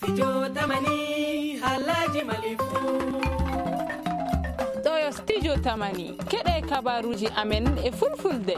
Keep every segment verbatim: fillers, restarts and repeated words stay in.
Studio Tamani, Halaji Malifu. Ɗo yo Studio Tamani. Keɗe kabaruuji amen e fulfulde.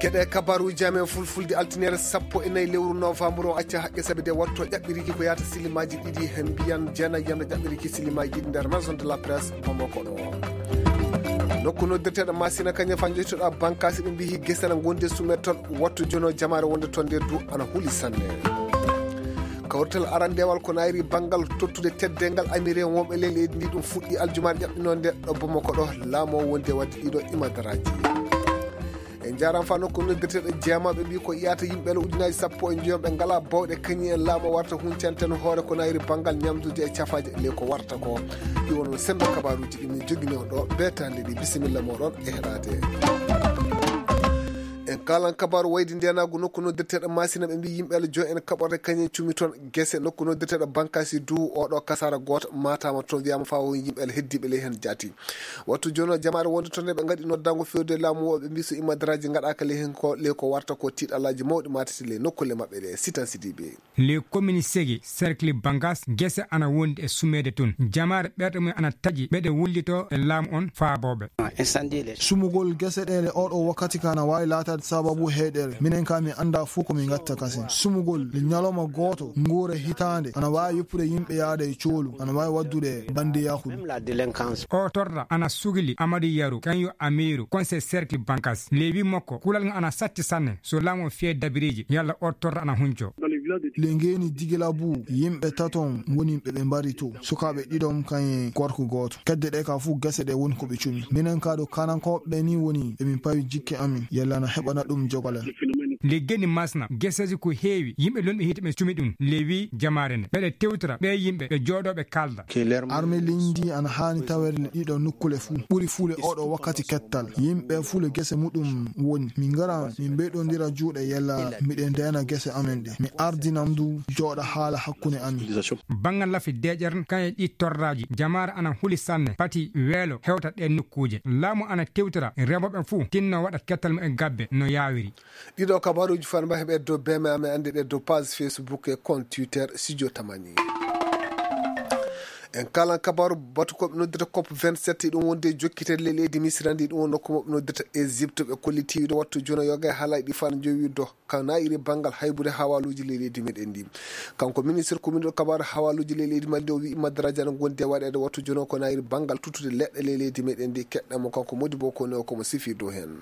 Keɗe kabaruuji amen fulfulde, altine sappo e nayi lewru novembre o, acca haqqe sabi de watto ƴaɓɓiriki ko yaata silimaaji ɗiɗi he mbiyan jeenayi yamde ƴaɓɓiriki silimaaji ɗiɗi nder maison de la presse Bamako ɗo. Nokku noddirteeɗo Masina Kañe fa jeytoɗa bankaasi ɓe mbiyi gese na gondi e sume toon, wattu jono jamaare wonde toon nde du ana huli sanne. Kawrital arandewal ko nayri banngal tottude teddengal amiren wonɓe ley leydi ndi ɗum fuɗɗi aljumaare ƴaɓɓinoo nde ɗo Bamako ɗo, laamu o wondi e waɗde ɗiɗo imadaraaji. En njaaraama fa nokku noddirteeɗo jeemaaɓe mbi ko iyata yimɓe le ujunaaji sappo e njoyo ɓe ngalaa bawɗe kañi en laamu o warta huncanten hoore ko nayri banngal ñamduuji e cafaaji le ko warta ko. Ɗi won sembe kabaruuji ɗi min jogino ɗo beetande ɗi, bisimilla moɗon e heɗaade. En kalan kabaru waydi ndenaagu nokku noddirteeɗo Masina ɓe mbi yimɓe le joy en kaɓorde kañen cumi toon gese nokku noddirteeɗo bankaasi du oɗo kasara gooto matama toon wiyama fa won yimɓe le heddiɓe le heen jaati. Wattu jono jamaare wonde toon ɓe ngaɗi noddango fewde laamu o ɓe mbi so imadaraaji ngaɗaka le heen ko le ko warta ko tiiɗalaaji mawɗi matati le nokku le maɓɓe le sitan sidiɓe. Les communes Sege, cercle Bangas, gese ana wondi e sumeede toon. Jamaare ɓerɗe mum ana taƴi, ɓeɗe wullito e laamu on faabooɓe. Sumugol gese ɗe le oɗo wakkati ka ana waawi laataade sababu heyɗere. Minen ka min anndaa fuu ko min ngatta kasen. Sumugol le ñalawma gooto nguure hitaande ana waawi yoppude yimɓe yaade e coolu, ana waawi waddude bandiyaaku ɗum. O torra ana sugli Amadou Yaro, kañum yo amiiru conseil cercle Bangas. Le wi makko, kulal ngal ana satti sanne, so laamu o fiyee dabiriiji, yalla o torra ana hunco. Le ngeeni Digilabu, yimɓe taton woni ɓe ɓe mbari to. Sukaaɓe ɗiɗon kañe gorko gooto. Kedde ɗe ka fuu gese ɗe woni ko ɓe cumi. Minen ka ɗo kanankooɓe ɓe ni woni ɓe min pawi jikke amin. Yalla na heɓana ɗum jogalal. Le geni Masna, geseeji ko heewi, yimɓe lonɓe hiite ɓe cumi ɗum. Le wi jamaare nde. Ɓeɗe tewtora, ɓe yimɓe, ɓe jooɗo ɓe kaalda. Arme leydi ana haani taweede le ɗiɗo nokkule fuu. Ɓuri fuu le oɗo wakkati kettal. Yimɓe fuu le gese muɗum woni. Min ngara, min mbeɗondira juuɗe yalla miɗen ndeena gese amen ɗe. Mi ardinam du jooɗa haala hakkunde amin. Banngal lafi deeƴere kañe ɗi torraaji. Jamaare ana huli sanne. Pati weelo hewta ɗe nokkuuje. Laamu ana tewtira remooɓe fuu tinno waɗa kettal mum e gabbe no yaawiri. Ɗiɗo kabaruuji fanba heɓe dow beme amen annde ɗe dow page Facebook e compte Twitter Studio Tamani. En kalan kabaru batu ko ɓe noddirta cop vingt-sept, ɗum wonde jokkitede le leydi Misira ndi, ɗum wonno ko mo ɓe noddirta Égypte, ɓe kolliti wiide wattu jono yoga e haalaaji ɗi fana jowi do ka naayiri banngal haybude hawaluuji le leydi meɗen ndi. Kanko ministre communal kabaru hawaluuji le leydi Mali ndi, o wi madaraja no gondi e waɗeede wattu jono ko naayiri banngal tuttude leɗɗe le leydi meɗen ndi. Keɗɗamo kanko modi bo ko ne o komo sifi dow hen.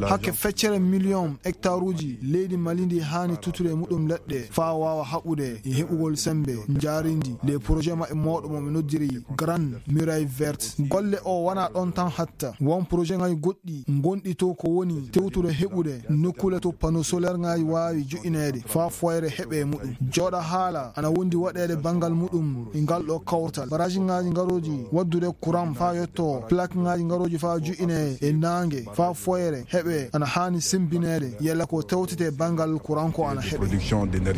Hakke feccere miliyon hectare uji leydi Mali ndi haani tutude muɗum leɗɗe faa waawa haɓude e heɓugol sembe njaarindi le projet maɓɓe mawɗo mo ɓe noddiri Grande Muraille Verte. Golle o wona ɗon tan hatta. Won projet ngaji goɗɗi ngonɗi to ko woni tewtude heɓude nokkule to panneau solaire ngaji waawi jo'ineede faa foyre heɓe muɗum. Jooɗa haala ana wondi waɗeede banngal muɗum e ngal ɗo kawtal. Baraji ngaji ngarooji waddude courant faa yotto plaque ngaji ngarooji faa ju'ine e naange faa foyre heɓe ana haani sembineede yalla ko tewtete banngal courant ko ana heɓe.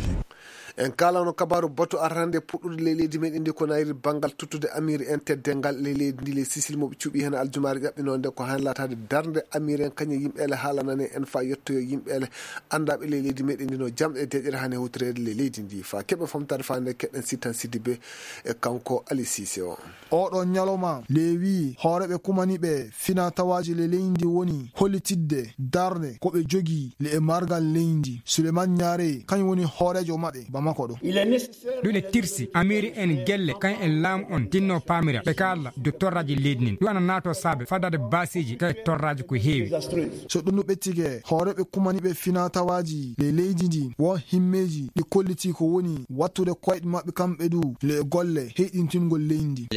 En kaalano kabaru batu arande puɗɗude le leydi meɗen ndi ko nayri banngal tuttude amiri en teddengal le leydi ndi le Sicile mo ɓe cuɓi heen aljumaare ƴaɓɓinoo nde ko haani laataade darnde amiri en kañum yimɓe ele haalanane en faa yettoyo yimɓe ele anndaɓe le leydi meɗen ndi no jamɗe deƴere haani hewtoreede le leydi ndi faa keɓe famtaade faa nde keɗen sittan siddi be e kanko Ali Sise o. Oɗo ñalawma le wi hooreɓe kumani ɓe fina tawaaji le leydi woni hollitidde darnde ko ɓe jogii le e margal leydi. Suleiman Ñaare kañum woni hooreejo maɓɓe Bamako ɗo. Ɗuɗe tirsi amiri en gelle kañ en laamu on tinno paamira ɓe kaalda do torraji leydi nin ɗum ana naato saabe fadade baasiiji kay torraji ko heewi. So ɗum ɗo ɓettike hooreɓe kumani ɓe fina tawaaji le leydi ndi won himmeeji ɗi kolliti ko woni wattude koyɗe maɓɓe kamɓe du le e golle heyɗintingol leydi ndi.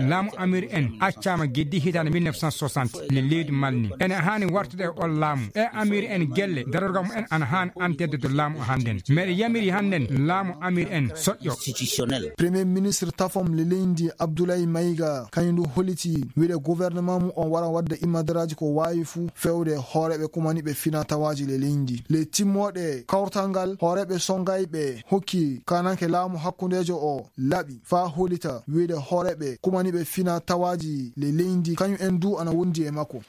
Laamu amiri en accaama geddi hitaande mille neuf cent soixante le leydi malni ene haani wartude e on laamu e amiri en gelle darorgal mum en ana haani antedde to laamu o hannden meɗe yamiri hannde. nen laamu amir en soƴƴo. Institutionnel. Premier ministre tafom le leydi Abdoulaye Maïga kañum ɗum holiti wiide gouvernement mum on wara wadde immadaraaji ko waawi fuu fewde hooreeɓe kumaniiɓe fina tawaaji le leydi. Le timmooɗe kawtal ngal hooreeɓe songayɓe hokki kananke laamu hakkundeejo o laaɓi faa holita wiide hooreeɓe kumaniiɓe fina tawaaji le leydi kañum en du ana wondi e makko.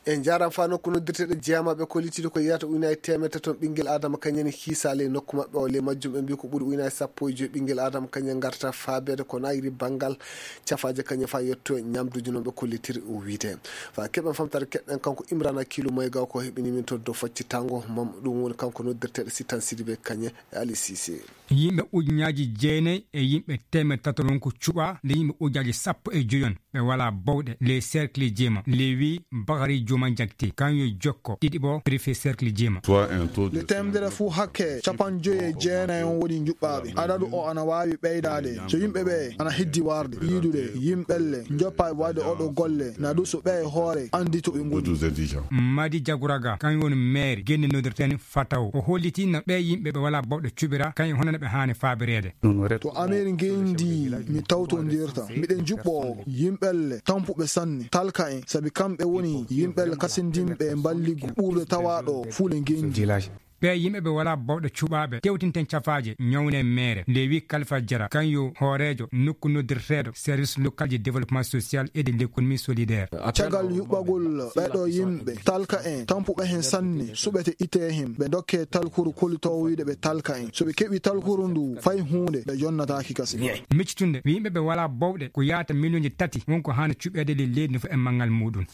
En njaaraama faa nokku noddirteeɗo jeyaama ɓe kollitiiɗo ko yiyata ujunaaji teemedde ton ɓinngel aadama kañum en hiisa ley nokku maɓɓe o. Ley majjum ɓe mbii ko ɓuri ujunaaji sappo e joy ɓinngel aadama kañum en ngarta faabeede ko naayiri banngal cafaaje kañum faa yetto ñamduuji noon ɓe kollitiri o wiide. Faa keɓen famtare keɗɗen kanko Imrana Kilu Moyga ko heɓini min to dow faccitaango mam ɗum woni kanko noddirteeɗo Sitan Sidibe kañum e Ali Sise. Yimɓe ujunnaaji jeenayi e yimɓe teemeɗɗe tato ronku cuɓaa le yimɓe ujaaji sappo e joyon ɓe walaa bawɗe le cercle jeema le wi Bakari Juma Jakte kan yo jokko ɗiɗi ɓo préfet cercle jeema. Le temedere fuu hakke capanɗe joyi e jeenayi on woni njuɓɓaaɓe. Adadu o ana waawi ɓeydaade so yimɓe ɓe ana heddi warde yiidude yimɓelle njoppaaɓe waɗde oɗo golle na du so ɓe e hoore anndi to ɓe ngoni. Madi Jaguraga kan woni maire genne nodirten fataw o hollitii no ɓee yimɓe ɓe walaa bawɗe cuɓira kañum hono no ɓe haani faabireede. To amen ngenndi mi tawtondirta miɗen njuɓɓoo yimɓelle tampuɓe sanne talka en sabi kamɓe woni yimɓelle kasindinɓe e mballigu ɓurde tawaaɗo fuule ngenndi. Ɓee yimɓe ɓe walaa bawɗe cuɓaaɓe tewtinten cafaaje ñawne meere nde wi Kalifa Jara kañum hooreejo nokku noddirteeɗo service local de développement social et de l'économie solidaire. Caggal yuɓɓagol ɓeeɗo yimɓe talka en tampuɓe heen sanne suɓete ittee heen ɓe ndokkee talkuru kollitoowo wiide ɓe talka en so ɓe keɓii talkuru ndu fay huunde ɓe jonnataaki kasi. Miccitunde yimɓe ɓe walaa bawɗe ko yaata miliyonji tati wonko haani cuɓeede ley leydi ndi fof e manngal muuɗum.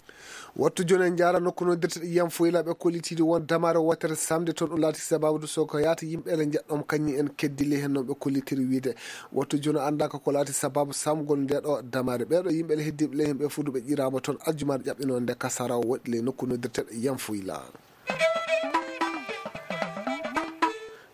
Wattu jooni en njaara nokku noddirteeɗo yiyam foyla ɓe kollitiiɗi won damaare wootere samedi toon ɗum laati sababu so ko yaata yimɓe ele njeɗɗom kañum en keddi ley heen noon ɓe kollitiri wiide wattu jooni anndaaka ko laati sababu samgol nde ɗo damaare ɓeeɗo yimɓe ele heddiiɓe ley heen ɓe fuudu ɓe ƴiraama toon aljumaare ƴaɓɓinoo nde kasara o waɗi ley nokku noddirteeɗo yiyam foyla.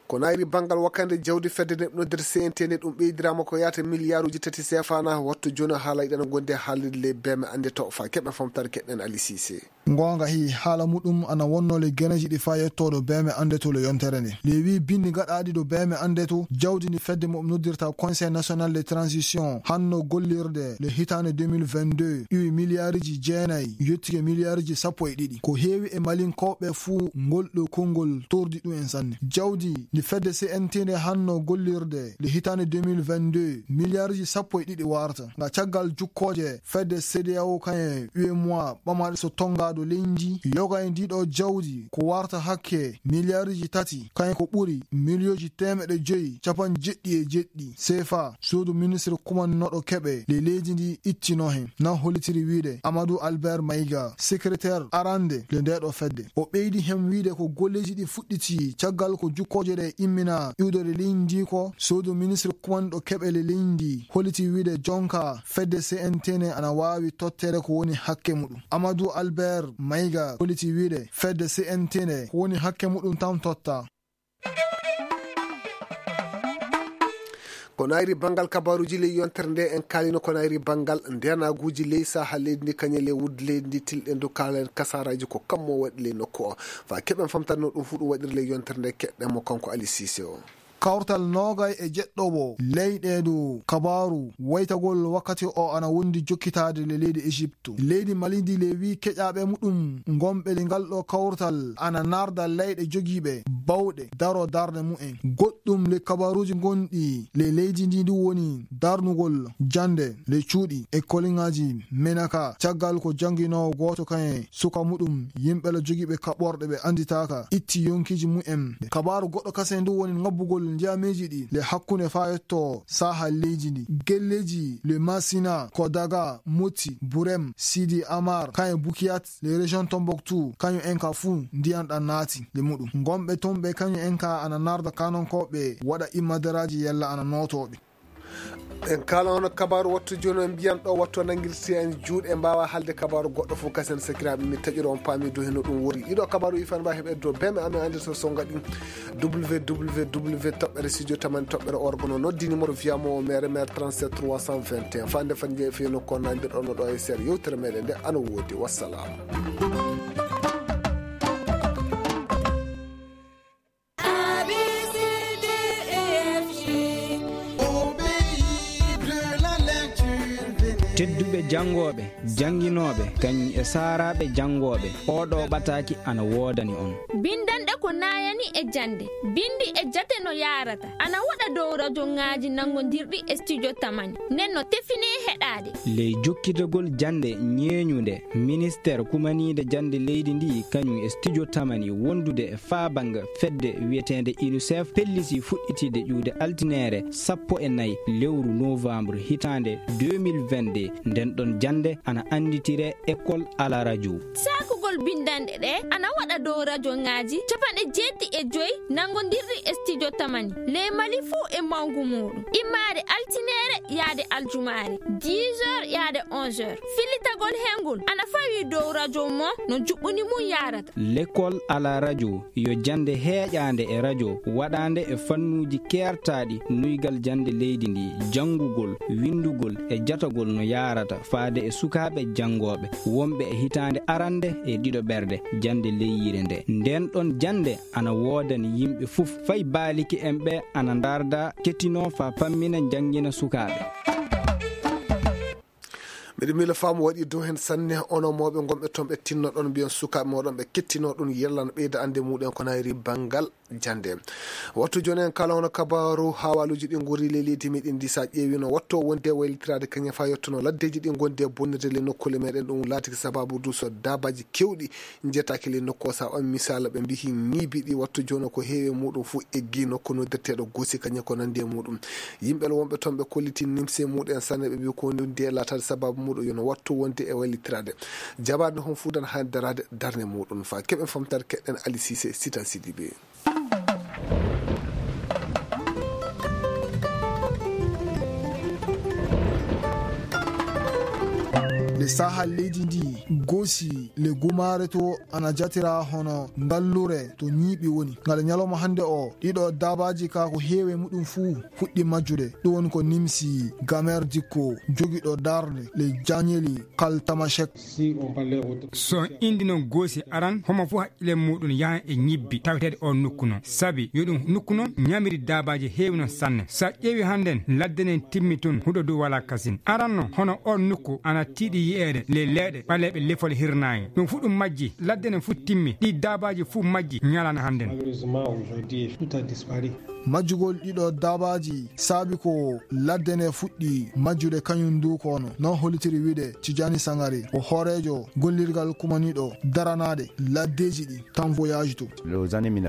Ko nayri banngal wakkande jawdi fedde nde noddirta C N T nde ɗum ɓeydiraama ko yaata miliyaaruuji tati seefaana wattu jooni haala iɗana gondi e haalirde ley beeme annde to fa keɓe famtare keɗɗen Ali Sise. Ngoonga hii haala muɗum ana wonnoo le geneji ɗi faa yettooɗo beeme annde to le yontere nde le wii binndi gaɗaaɗi ɗo beeme annde to jawdi ndi fedde mo noddirta Conseil National de Transition hanno gollirde le hitaande deux mille vingt-deux iwi miliyaariji jeenayi yottike miliyaariji sappo e ɗiɗi ko heewi e malinkooɓe fuu ngol ɗo konngol tordi ɗum en sanne jawdi ndi fedde C N T nde hanno gollirde le hitaande deux mille vingt-deux miliyaariji sappo e ɗiɗi warta nga caggal jukkooje fedde C D A O kañe U E M O A ɓamaɗe so tonngaado leydi yoga e ndiɗo jawdi ko warta hakke miliyaariji tati kañe ko ɓuri miliyonji teemeɗe joyi capanɗe jeɗɗi e jeɗɗi C F A suudu ministre kumannoɗo keɓe le leydi ndi ittino hen na hollitiri wiide Amadou Albert Maïga secrétaire arande le ndeɗo fedde o ɓeydi hen wiide ko golleji ɗi fuɗɗiti caggal ko jukkooje ɗe immina iwdere leydi ndi ko suudu ministre kumanɗo keɓe le leydi ndi holliti wiide jonka fedde C N T ne ana waawi totteede ko woni hakke muɗum. Amadou Albert Maïga holliti wiide fedde C N T ne ko woni hakke muɗum tan totta. Ko nayri banngal kabaaruuji ley yontere nde en kaalino ko nayri banngal ndeenaaguuji ley saha leydi ndi kañe ley wudde leydi ndi tilɗe ndu kaalen kasaaraaji ko kammo waɗi ley nokku o fa keɓen famtanno ɗum fuɗu waɗiri ley yontere nde keɗɗen mo kanko Ali Sise o. Kawtal noogay e jeɗɗowo leyɗeedu kabaaru waytagol wakkati o ana wondi jokkitaade le leydi Egypte. Leydi Mali ndi le wii keƴaaɓe muɗum ngonɓe le ngal ɗo kawtal ana narda leyɗe jogiiɓe bawɗe daro darnde mumen. Goɗɗum le kabaaruuji gonɗi le leydi ndi ndu woni darnugol jannde le cuuɗi e koliŋaaji menaka caggal ko jannginoowo gooto kañe suka muɗum yimɓe le jogiiɓe kaɓorɗe ɓe annditaaka itti yonkiiji mumen. Kabaaru goɗɗo kasen ndu woni ngabbugol ndiyameeji ɗi le hakkunde faa yetto saaha leydi ndi. Gelleeji le Masina, Kodaga, Moti, Burem, Sidi Amar, kañum Bukiyat, le région Tombouctou, kañum en ka fuu ndiyan ɗan naati le muɗum. Ngonɓe ton ɓe kañum en ka ana narda kanankooɓe waɗa immadaraaji yalla ana nootooɓe. En kala hono kabaaru wattu jooni en mbiyan ɗo wattu nangirti en juuɗe en mbaawa haalde kabaaru goɗɗo fof kasen sakiraaɓe mi taƴiro on paami du heno ɗum wori ɗiɗo kabaaru ifan mba heɓe do beme amen ande to songa ɗin www toɓɓere studio tamani toɓɓere orgono noddi numéro via mo mere mere trente-sept trois cent vingt et un fande fan jeeyi fino ko nandirɗo no ɗo e seeɗa yewtere meɗen nde ana woodi wassalam. Janngooɓe, jannginooɓe, kañum e saaraaɓe janngooɓe, oo ɗoo ɓataaki ana woodani on. Binndanɗe ko naayani e jannde, binndi e jate no yaarata, ana waɗa dow rajoŋaaji nanngondirɗi e studio Tamani. Nden no tefinee heɗaade. Ley jokkitagol jannde ñeeñunde, ministeer kumaniinde jannde leydi ndi kañum e studio Tamani wondude e faabanga fedde wiyeteende UNICEF pelliti fuɗɗitiide ƴuwde altineere sappo e nayi lewru novembre hitaande deux mille vingt-deux. Nden ɗon jannde ana annditiree École à la radio. Saakugol binndanɗe ɗe ana waɗa dow rajoŋaaji capanɗe jeeɗiɗi e joy nanngondirɗi e studio Tamani. Ley Mali fuu e mawngu muuɗum. Immaade altineere yaade aljumaare, dix heures yaade onze heures. Fillitagol hengol ana fawii dow rajo mo no njuɓɓudi mum yaarata. L'école à la radio yo jannde heeƴaande e rajo waɗaande e fannuuji keertaaɗi nuygal jannde leydi ndi, janngugol, winndugol e jatagol no yaarata faade e sukaaɓe janngooɓe wonɓe e hitaande arannde e ɗiɗo ɓerde jannde leyyire nde. Nden ɗon jannde ana woodani yimɓe fof, fay baaliki en ɓe ana ndaarda, kettinoo faa pammina, njanngina sukaaɓe. Miɗo miila faamu waɗi dow heen sanne, onon mawɓe ngonɓe toon ɓe tinnoɗon mbiyon sukaaɓe mooɗon ɓe kettinoo ɗum yalla no ɓeyda annde muɗen ko nayri banngal jannde. Wattu jooni en kala hono kabaaru haawaaluuji ɗi ngori ley leydi meɗen ndi, so a ƴeewino wattu o wonde waylitiraade kañum faa yettuno laddeeji ɗi ngondi e bonnirde ley nokkuule meɗen, ɗum laatiki sabaabu du so daabaaji keewɗi njetaaki ley nokku o. So a ɓami misaala ɓe mbiyi ñiibi ɗi wattu jooni ko heewi e muɗum fof eggi nokku noddirteeɗo Goosi kañum ko nanndi e muɗum. Yimɓe wonɓe toon ɓe kolliti nimse muɗum en sanne ɓe mbiyi ko ndu ndiye laataade sabaabu muɗum yo no wattu wonde e waylitiraade. Jabaade hon fuudan haa daraade darnde muɗum faa keɓen famtaade keɗen Ali Siise Sitan Sidibe. Le saha leydi ndi Goosi le gumaare to ana jatira hono ngallure to ñiiɓi woni. Ngal ñalawma hannde o, ɗiɗo daabaaji ka ko heewe muɗum fuu fuɗɗi majjude. Ɗum woni ko nimsi Gamer Dikko, jogiiɗo darnde le Jañeli Kaltamashek. Si on parle au- So on inndi non Goosi aran, homo fof haqqille muɗum yahan e ñibbi taweteeɗo on nokku non. Sabi yo ɗum nokku non ñamiri daabaaji heewi non sanne. So a ƴeewi hannden, ladde nden timmi tun, huɗo du walaa kasin. Aran non, hono on nokku ana tiiɗi yi'eede le leeɗe ɓaleeɓe lefol hirnaange. Ɗum fuu ɗum majji, ladde nden fuu timmi, ɗi daabaaji fuu majji ñalana hannden. Malheureusement, aujourd'hui, tout a disparu. Majjugol ɗiɗo daabaaji saabi ko ladde nde fuɗɗi majjude kañum ndu kono. Non hollitiri wiide Tijani Sangare, o hooreejo gollirgal kumaniiɗo daranaade laddeeji ɗi tan voyage to.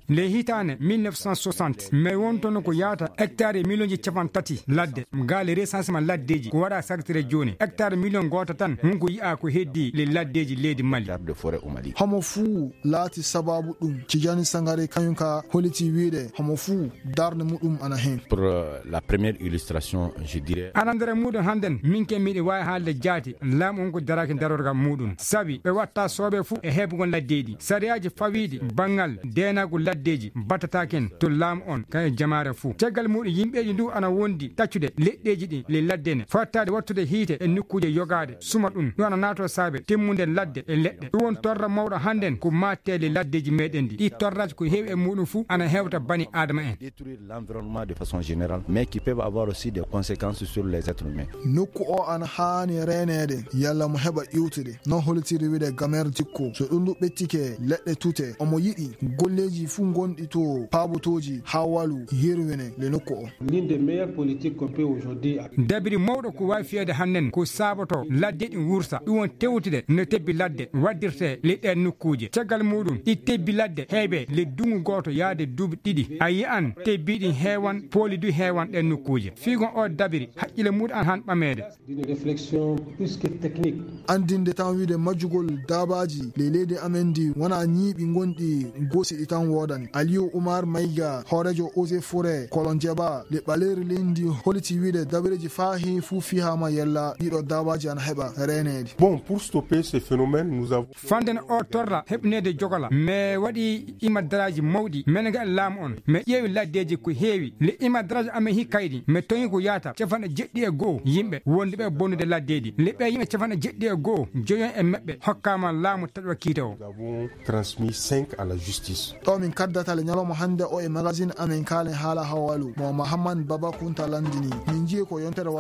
Ley hitaande mille neuf cent soixante, mais wontono ko yaata hectare millionji capanɗe tati ladde. Gaale recensement laddeeji ko waɗa sagtire jooni. Hectare million gooto tan, hunko yi'a ko heddi le laddeeji leydi Mali. Garde forêt au Mali. Homo fuu laati sababu ɗum. Tijani Sangare kañum ka holliti wiide homo fuu darnde muɗum ana heen. Pour, euh, la première illustration, je dirais. Arandere muɗum hannden, min ke miɗi waawi haalde jaati, laamu on ko daraaki darorgal muɗum. Sabi ɓe watta sooɓe fuu e heɓugol laddeeji. Sariyaaji fawiiɗi banngal deenagol laddeeji battataake en to laamu on, kan e jamaare fuu. Caggal muɗum yimɓeeji ndu ana wondi taccude leɗɗeeji ɗi le ladde ne, fottaade wattude hiite e nokkuuje yogaade, suma ɗum. Ɗum ana naatoo saabe timmunde ladde e leɗɗe. Ɗum won torra mawɗo hannden ko maattee le laddeeji meɗen ɗi. Ɗi torraaji ko heewi e muɗum fuu ana hewta bani Aadama en. Détruire l'environnement de façon générale, mais qui peuvent avoir aussi des conséquences sur les êtres humains. Nokku o ana haani reeneede, yalla mo heɓa iwtude. Non hollitiri wiide Gamer Dikko, so ɗum ɗum ɓettike leɗɗe tute, omo yiɗi golleeji fuu ngonɗi to paabotooji haa walu yerwine le nokku o. L'une des meilleures politiques qu'on peut aujourd'hui. Dabiri mawɗo ko waawi fiyeede hannden ko saaboto ladde ɗin wurta. Ɗum won tewtude no tebbi ladde waddirtee le ɗeen nokkuuje. Caggal muɗum, ɗi tebbi ladde heewe le duŋu gooto yaade duuɓi ɗiɗi. A yi'an tebbi ɗin heewan, pooli du heewan ɗeen nokkuuje. Fiigon o dabiri, haqqille muɗum ana han ɓameede. D'une réflexion plus que technique. Anndinde tan wiide majjugol daabaaji ley leydi amen ndi wonaa ñiiɓi ngonɗi Goosi ɗi tan woodani. Aliou Oumar Maïga, hooreejo Eaux et Forêts, Kolonjeba, le ɓaleeri leydi ndi holliti wiide dabareeji faahi fuu fihaama yalla ɗiɗo daabaaji ana heɓa reeneede. Bon, pour stopper ce phénomène, nous avons Fannden o torra heɓneede jogola, mais waɗi imadaraaji mawɗi, men ga laamu on, mais ƴeewi laddeeji ko heewi. Le imadaraaji amen hikka kaydi, mais toŋi ko yaata capanɗe jeɗɗi e go'o yimɓe wonduɓe bonnude laddeeji. Le ɓe yimɓe capanɗe jeɗɗi e go'o, joyon e maɓɓe hokkaama laamu taƴwa kiite o. Nous avons transmis cinq à la justice. Ɗo min kaddata le ñalawma hannde o e magazine amen kaalen haala hawalu mo Mahamman Baba Kunta landini. Min njiyi ko yontere